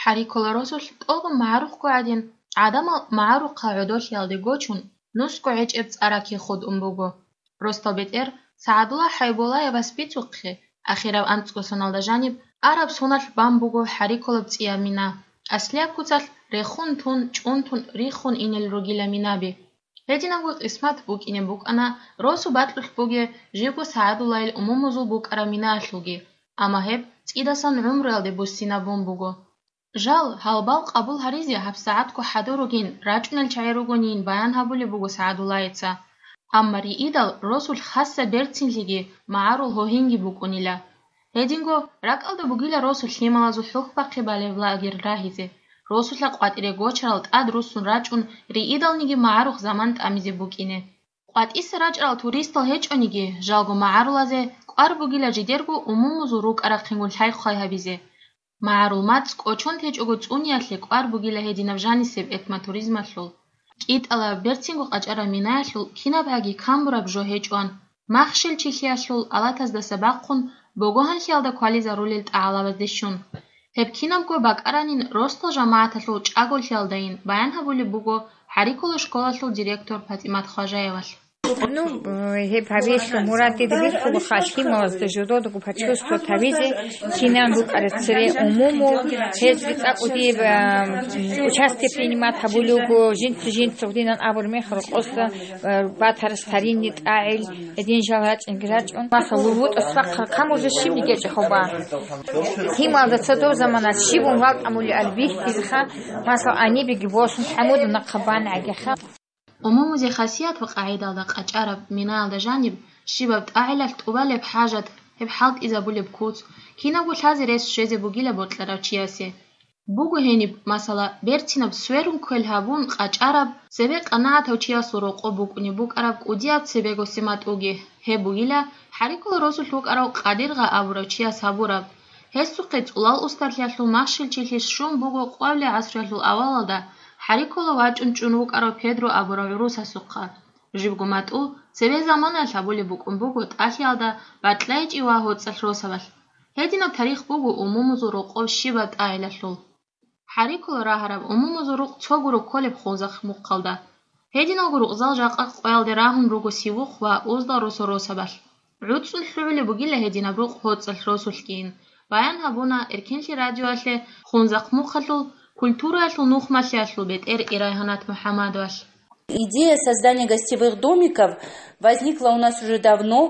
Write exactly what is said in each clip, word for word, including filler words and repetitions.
ХӀарикула росулъ тӀолго магӀарухъго гӀадин, гӀадамал магӀарухъа гӀодолъиялде гочун, нусго гӀечӀеб цӀа ракихъ хутӀун буго. Росдал бетӀер СагӀадулла ХӀайбуллаевас бицухъе, ахирав анцӀго соналда жаниб араб соналъ бан буго ХӀарикулаб цӀияб мина, аслияб куцалъ рехун тун, чӀун тун риххун инел ругила минаби. Гьединабго къисмат букӀине букӀана росу бакьулъ бугеб живго СагӀадуллайил умумузул букӀараб минаялъулги, амма гьеб цӀидасан гӀумруялде буссинабун буго. Жал, гьалбал къабул гьаризе гьабсагӀатго хӀадур ругин, рачӀунел чагӀи ругонин баян гьабулеб буго СагӀадуллаеца. Амма риидал росулъ хасса берцинлъиги магӀарул гьогьинги букӀунила. Гьединго ракӀалда бугила росу лъималазул хӀухьбахъи балеб лагерь рагьизе, росулъа къватӀире гочарал тӀад руссун рачӀун, риидалниги магӀарухъ заман тӀамизе букӀине. КъватӀиса рачӀарал туристал гьечӀониги, жалго магӀарулазе кӀвар бугила жидерго умумузул рукӀа-рахъингун лъай-хъвай гьабизе. МагӀарул мацӀ кӀочон течӀого цӀуниялъе кӀвар бугила гьединаб жанисеб этнотуризмалъул. КӀитӀала берцинго къачӀараб минаялъул кинабгӀаги камбураб жо гьечӀоан, махщел-чилъиялъул алатаздаса бахъун богогьанлъиялда квализарулел тӀагӀалабазде щун. Гьеб кинабго бакӀаранин росдал жамагӀаталъул чӀаголъиялдайин баян гьабулеб буго ХӀарикула школалъул директор ПатӀимат Хважаевалъ. Ну, э, гьеб гьабиялъул мурад дида бихьулаха, лъималазда жододаго почувствовать гьабизе, кинан букӀараб цере умумул, гьез цӀакъ кӀудияб, а, участие принимать гьабулев вуго, жинца-жинца гьудинан абураб мехалъ рокъоса, а, батарас таринни тӀагӀел, гьедин жал рачӀинги рачӀун. Масала, лугьутӀас вахъа камуржа щибниги гьечӀеб хӀоба. Лъималазда цо доб заманалъ щибун валтӀамулел бихьизеха, масала, гьанибеги босун хӀамуда нахъа бан гӀагеха. Умумузе хасият ва къагӀидалда къачӀараб минаялда жаниб, щибаб тӀагӀилалъ тӀубалеб хӀажат, гьеб хӀалтӀизабулеб куц, кинабго лъазе рес щвезе бугила бокьарав чиясе. Буго гьениб, масала, берцинаб сверун квел гьабун къачӀараб, цебе къанагӀатав чиясул рокъоб букӀунеб букӀараб кӀудияб цебего сематӀуги, гьеб бугила ХӀарикула росулъ вукӀарав Къадиргъа абурав чияс гьабураб. Гьесухъе цӀулал устарлъиялъул махщел-чилъи щун буго къвалли гӀасруялъул авалалда ХӀарикула вачӀун чӀун вукӀарав Педро абурав гӀурусасухъа. Жибго матӀу цебе заманаялъ гьабулеб букӀун буго тӀалъиялда БатӀлайчӀи ва ГьоцӀалъ росабалъ. Гьединаб тарих буго умумузул рокъоб щибаб тӀагӀилалъул. ХӀарикула рагьараб умумузул рукъ цо гуро кколеб Хунзахъ мухъалда. Гьединалго рукъзал жакъа къоялде рагьун руго Сивухъ ва Уздал росо-росабалъ. ГӀуцӀун лъугӀулеб бугила гьединаб рукъ ГьоцӀалъ росулъгийин, баян гьабуна Эркенлъи радиоялъе Хунзахъ мухъалъул культураялъул нухмалъиялъул бетӀер Ирайгьанат МухӀаммадовалъ. Идея создания гостевых домиков возникла у нас уже давно,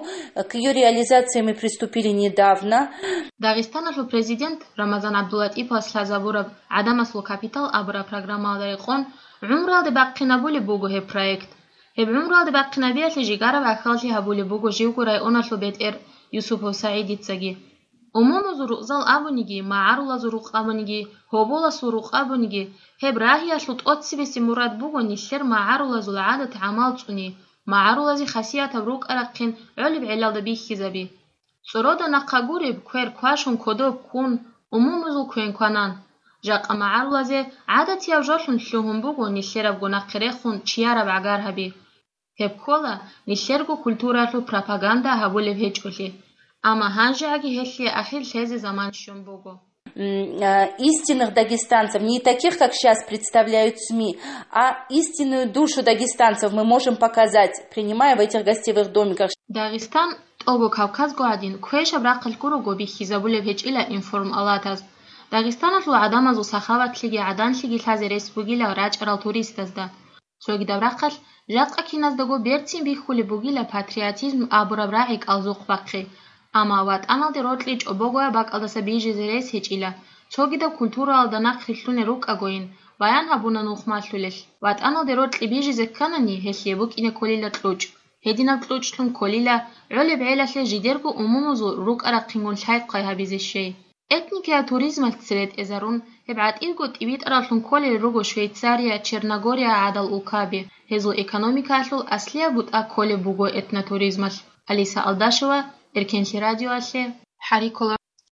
к её реализации мы приступили недавно. Дагъистаналъул президент Рамазан ГӀабдуллатӀиповас лъазабураб «ГӀадамасул капитал» абураб программаялда рекъон гӀумруялде бахъинабулеб буго гьеб проект. Гьеб гӀумруялде бахъинабиялъе жигараб гӀахьаллъи гьабулеб буго живго районалъул бетӀер Юсупов СагӀидицаги. Умумузул рукъзал абуниги, магӀарулазул рукъ абуниги, гьоболасул рукъ абуниги, гьеб рагьиялъул тӀоцебесеб мурад буго нилъер магӀарулазул гӀадат-гӀамал цӀуни, магӀарулазе хасиятаб рукӀа-рахъин гӀолеб гӀелалда бихьизаби. ЦӀорода нахъа гуреб квер квашун кодоб ккун, умумузул квен кванан. Жакъа магӀарулазе гӀадатияб жолъун лъугьун буго нилъерабго нахъе рехун чияраб гӀагар гьаби. Гьеб ккола нилъерго культуралъул пропаганда гьабулеб гьечӀолъи, амма гьанжегӀаги гьелъие ахир лъезе заман щун буго. М, а, истинных дагестанцев, не таких, как щас представляют СМИ, а истинную душу дагестанцев мы можем показать, принимая в этих гостевых домиках. Дагъистан, тӀого Кавказго гӀадин, квешаб рахъалъ гурого бихьизабулеб гьечӀила информалатаз. Дагъистаналъул гӀадамазул сахаватлъиги гӀаданлъиги лъазе рес бугила рачӀарал туристазда. Цогидаб рахъалъ жакъа киназдаго берцин бихьулеб бугила патриотизм абураб рагӀи кӀалзухъ бахъи, амма ватӀаналде рокьи чӀобогояб бакӀалдаса бижизе рес гьечӀила, цогидаб культураялда нахъ рилълъунел рукӀагойин, баян гьабуна нухмалъулелъ. ВатӀаналде рокьи бижизе кканани, гьелъие букӀине кколила кьучӀ. Гьединаб кьучӀлъун кколила гӀолеб гӀелалъе жидерго умумузул рукӀа-рахъингун лъай-хъвай гьабизе щей. Этникияб туризмалъ цере тӀезарун, гьеб гӀатӀирго тӀибитӀараллъун кколел руго Швейцария, Черногория гӀадал улкаби. Гьезул экономикаялъул аслияб бутӀа кколеб буго этнотуризмалъ. Алиса Алдашева, Эркенлъи радиоялъе, ХӀарикула.